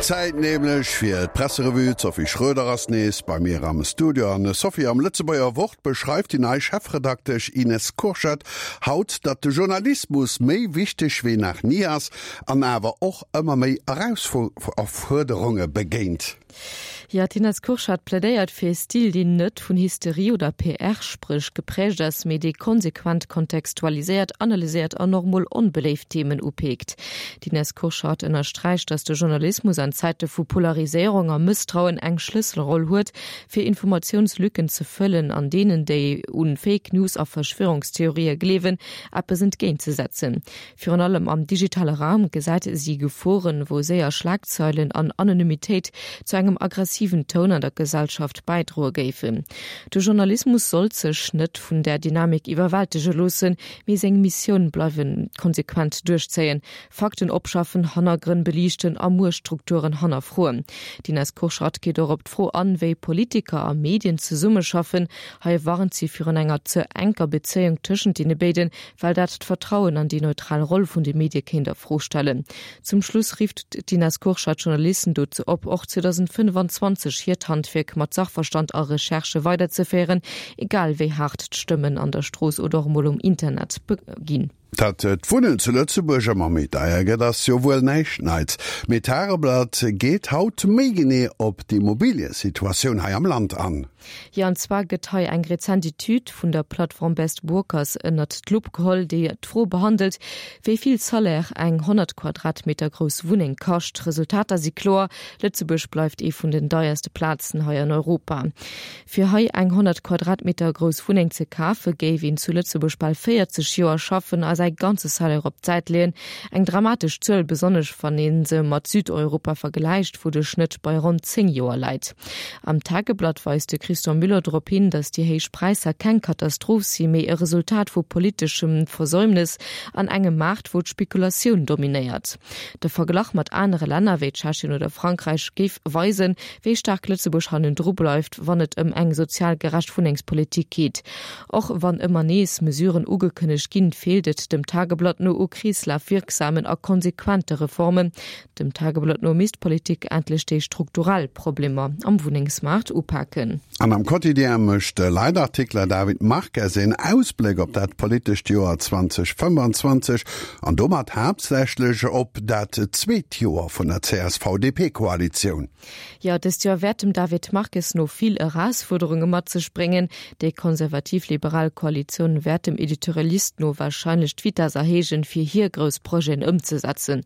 Zäit nämlech fir d'Presserevue. D'Sophie Schröder ass nees bei mir am Studio. An Sophie, am Lëtzebuerger Wort beschreift déi nei Chefredaktesch Ines Kurschat haut, datt de Journalismus méi wichteg wéi nach ni ass an awer och ëmmer méi Erausfuerderunge begéint. Jo, d'Ines Kurschat plädéiert fir e Stil, deen net vun Hysterie oder PR-Spréch geprägt ass, mee dee konsequent kontextualiséiert, analyséiert an och mol onbeléift Themen upeekt. D'Ines Kurschat ënnersträicht, datt de Journalismus an Zäite vu Polariséierung a Mësstrauen eng Schlësselroll huet, fir Informatiounslücken ze fëllen an deenen, déi u Fake News a Verschwörungstheorië gleewen, eppes entgéintzesetzen. Virun allem am digitale Raum gesäit si Geforen, wou séier Schlagzeilen an Anonymitéit zu engem aggressiven Toun an der Gesellschaft bäidroe géifen. De Journalismus sollt sech net vun där Dynamik iwwerwältege loossen, mee seng Missioun bleiwe konsequent duerchzéien, Fakten opschaffen, Hannergrënn beliichten a Muechtstrukturen hannerfroen. D'Ines Kurschat geet och op d'Fro an, wéi Politiker a Medien zesummeschaffen. Hei warnt si virun enger ze enker Bezéiung tëschent deene béiden, well dat d'Vertrauen an déi neutral Roll vun de Medie kéint a Fro stellen. Zum Schluss rifft d'Ines Kurschat d'Journalisten dozou op, och 2025 hiert Handwierk mat Sachverstand a Recherche weiderzeféieren, egal wéi haart d'Stëmmen an der Strooss oder och emol um Internet ginn. Datt d'Wunnen zu Lëtzebuerg ëmmer méi deier gëtt, ass jo wuel näischt Neits. Mee d'Tageblatt geet haut méi genee op d'Immobiliesituatioun hei am Land an. Jo, an zwar gëtt hei eng rezent Etüd vun der Plattform Best Workers ënnert d'Lupp geholl, déi d'Fro behandelt, wéi vill Salaire eng 100 Quadratmeter grouss Wunneng kascht. D'Resultater si kloer, Lëtzebuerg bleift ee vun den deierste Plazen hei an Europa. Fir hei eng 100 Quadratmeter grouss Wunneng ze kafe géif een zu Lëtzebuerg bal 40 Joer schaffen a säi ganze Salaire op d'Säit leeën. Eng dramatesch Zuel, besonnesch wann ee se mat Südeuropa vergläicht, wou de Schnëtt bei ronn 10 Joer läit. Am Tageblatt weist de Christian Müller drop hin, datt déi héich Präisser keng Katastroph si mee e Resultat vu politeschem Versäumnes an engem Maart, wou d'Spekulatioun dominéiert. De Verglach mat anere Länner wéi Tschechien oder Frankräich géif weisen, wéi staark Lëtzebuerg hannendru bleift, wann et ëm eng sozial gerecht Wunnengspolitik geet. Och wann ëmmer nees Mesuren ugekënnegt ginn, feelt et dem Tageblatt no u kreeslafwierksamen a konsequente Reformen. Dem Tageblatt no misst d'Politik endlech déi strukturell Problemer am Wunnengsmaart upaken. An am Quotidien mécht de Leitartikler David Marques een Ausbléck op dat politescht Joer 2025 an domat haaptsächlech op dat zweet Joer vun der CSV-DP-Koalitioun. Jo, dëst Joer wäert dem David Marques no vill Erausfuerderunge mat sech bréngen. Déi konservativ-liberal Koalitioun wäert dem Editorialist no warscheinlech d'Vitess erhéijen, fir hir grouss Projeten ëmzesetzen.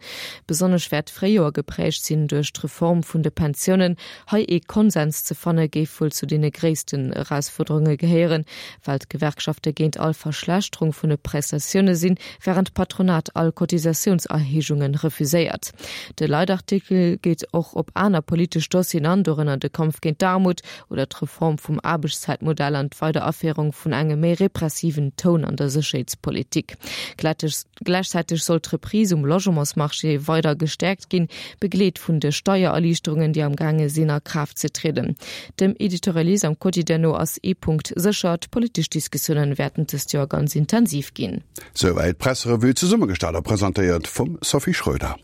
Besonnesch wäert d'Fréijoer geprägt sinn duerch d'Reform vun de Pensiounen. Hei ee Konsens ze fanne géif wuel zu deene gréissten Erausfuerderunge gehéieren, well d'Gewerkschafte géint all Verschlechterung vun de Prestatioune sinn, wärend d'Patronat all Cotisatiounserhéijunge refuséiert. De Leitartikel geet och op aner politesch Dossieren an, dorënner de Kampf géint d'Aarmut oder d'Reform vum Aarbechtszäitmodell an d'Weideraféierung vun engem méi repressiven Toun an der Sécherheetspolitik. Gläichzäiteg soll d'Reprise um Logementsmarché weider gestäerkt ginn, begleet vun de Steiererliichterungen, déi am gaange sinn a Kraaft ze trieden. Dem Editorialist am Quotidien no ass ee Punkt sécher, D'politesch Diskussiounen wäerten dëst Joer ganz intensiv ginn. Souwäit d'Presserevue, zesummegestallt a presentéiert vum Sophie Schröder.